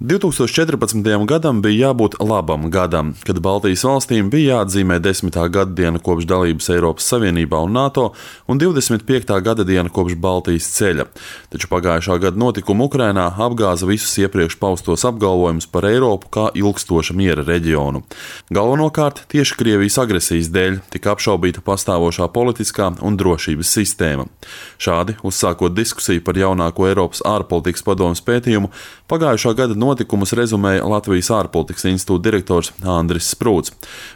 2014. gadam bija jābūt labam gadam, kad Baltijas valstīm bija jāatzīmē 10. gada diena kopš dalības Eiropas Savienībā un NATO un 25. gada diena kopš Baltijas ceļa. Taču pagājušā gada notikumi Ukrainā apgāza visus iepriekš paustos apgalvojumus par Eiropu kā ilgstoša miera reģionu. Galvenokārt tieši Krievijas agresijas dēļ tika apšaubīta pastāvošā politiskā un drošības sistēma. Šādi, uzsākot diskusiju par jaunāko Eiropas ārpolitikas padomes pētījumu, pagājušā gada notikumus rezumēja Latvijas ārpolitikas institūta direktors Andris Sprūts.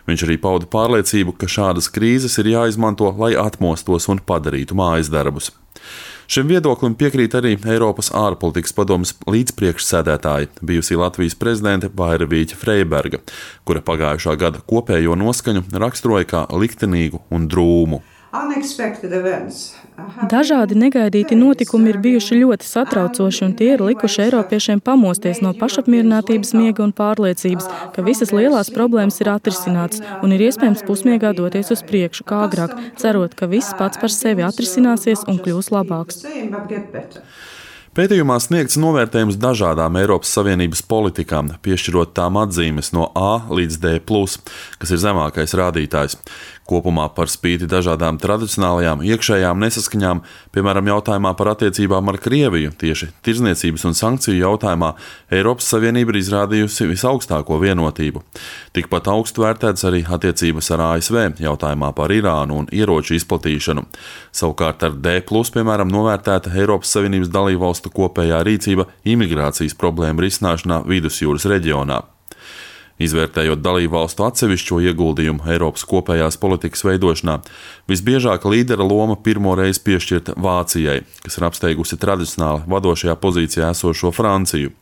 Viņš arī pauda pārliecību, ka šādas krīzes ir jāizmanto, lai atmostos un padarītu mājas darbus. Šim viedoklim piekrīt arī Eiropas ārpolitikas padomes līdzpriekšsēdētāja, bijusī Latvijas prezidente Vaira Vīķa Freiberga, kura pagājušā gada kopējo noskaņu raksturoja kā liktenīgu un drūmu. Dažādi negaidīti notikumi ir bijuši ļoti satraucoši, un tie ir likuši eiropiešiem pamosties no pašapmierinātības miega un pārliecības, ka visas lielās problēmas ir atrisinātas un ir iespējams pusmiegā doties uz priekšu kā agrāk, cerot, ka viss pats par sevi atrisināsies un kļūs labāks. Pētījumā sniegts novērtējums dažādām Eiropas Savienības politikām, piešķirot tām atzīmes no A līdz D+, kas ir zemākais rādītājs. Kopumā par spīti dažādām tradicionālajām iekšējām nesaskaņām, piemēram, jautājumā par attiecībām ar Krieviju, tieši tirdzniecības un sankciju jautājumā, Eiropas Savienība ir izrādījusi visaugstāko vienotību. Tikpat augstu vērtētas arī attiecības ar ASV jautājumā par Irānu un ieroču izplatīšanu. Savukārt ar D+, piemēram, novērtēta Eiropas Savienības dalībvalstu kopējā rīcība imigrācijas problēmu risināšanā Vidusjūras reģionā. Izvērtējot dalībvalstu atsevišķo ieguldījumu Eiropas kopējās politikas veidošanā, visbiežāk līdera loma pirmo reizi piešķirta Vācijai, kas ir apsteigusi tradicionāli vadošajā pozīcijā esošo Franciju.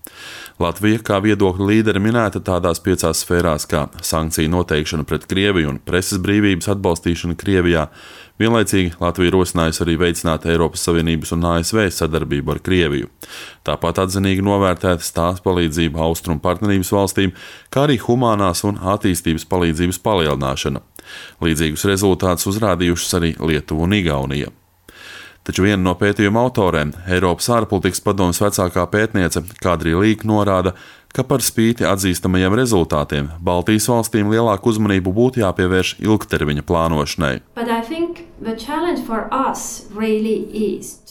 Latvija kā viedokļu līdere minēta tādās 5 sfērās kā sankciju noteikšana pret Krieviju un preses brīvības atbalstīšana Krievijā. Vienlaicīgi Latvija rosinājusi arī veicināt Eiropas Savienības un ASV sadarbību ar Krieviju. Tāpat atzinīgi novērtētas tās palīdzība austrumu partnerības valstīm, kā arī humānās un attīstības palīdzības palielināšana. Līdzīgus rezultātus uzrādījušas arī Lietuva un Igaunija. Taču viena no pētījuma autorēm, Eiropas ārpolitikas padomes vecākā pētniece Kadrija Līka norāda, ka par spīti atzīstamajiem rezultātiem Baltijas valstīm lielāku uzmanību būtu jāpievērš ilgtermiņa plānošanai.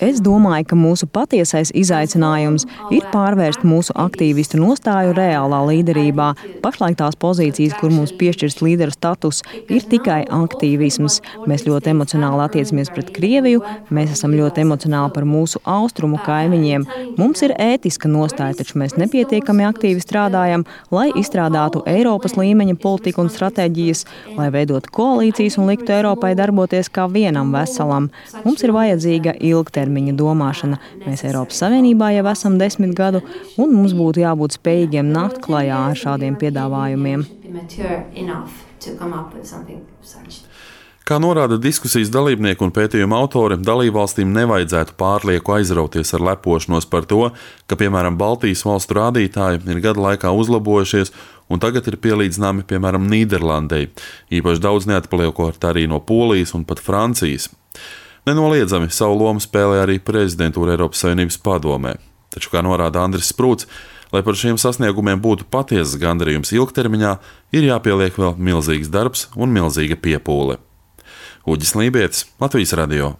Es domāju, ka mūsu patiesais izaicinājums ir pārvērst mūsu aktīvistu nostāju reālā līderībā. Pašlaik tās pozīcijas, kur mums piešķirts līderu status, ir tikai aktīvisms. Mēs ļoti emocionāli attiecamies pret Krieviju, mēs esam ļoti emocionāli par mūsu austrumu kaimiņiem. Mums ir ētiska nostāja, taču mēs nepietiekami aktīvi strādājam, lai izstrādātu Eiropas līmeņa politiku un stratēģijas, lai veidotu koalīcijas un liktu Eiropai darboties kā vienam veselam. Mums ir vajadzīga ilgtermiņa domāšana. Mēs Eiropas Savienībā jau esam 10 gadu, un mums būtu jābūt spējīgiem nākt klajā ar šādiem piedāvājumiem. Kā norāda diskusijas dalībnieki un pētījuma autori, dalībvalstīm nevajadzētu pārlieku aizrauties ar lepošanos par to, ka, piemēram, Baltijas valstu rādītāji ir gadu laikā uzlabojušies un tagad ir pielīdzināmi, piemēram, Nīderlandei, īpaši daudz neatpaliekot arī no Polijas un pat Francijas. Nenoliedzami savu lomu spēlē arī prezidentūra Eiropas Savienības padomē. Taču, kā norāda Andris Sprūts, lai par šiem sasniegumiem būtu patiesas gandarījums ilgtermiņā, ir jāpieliek vēl milzīgs darbs un milzīga piepūle. Uģis Lībietis, Latvijas radio.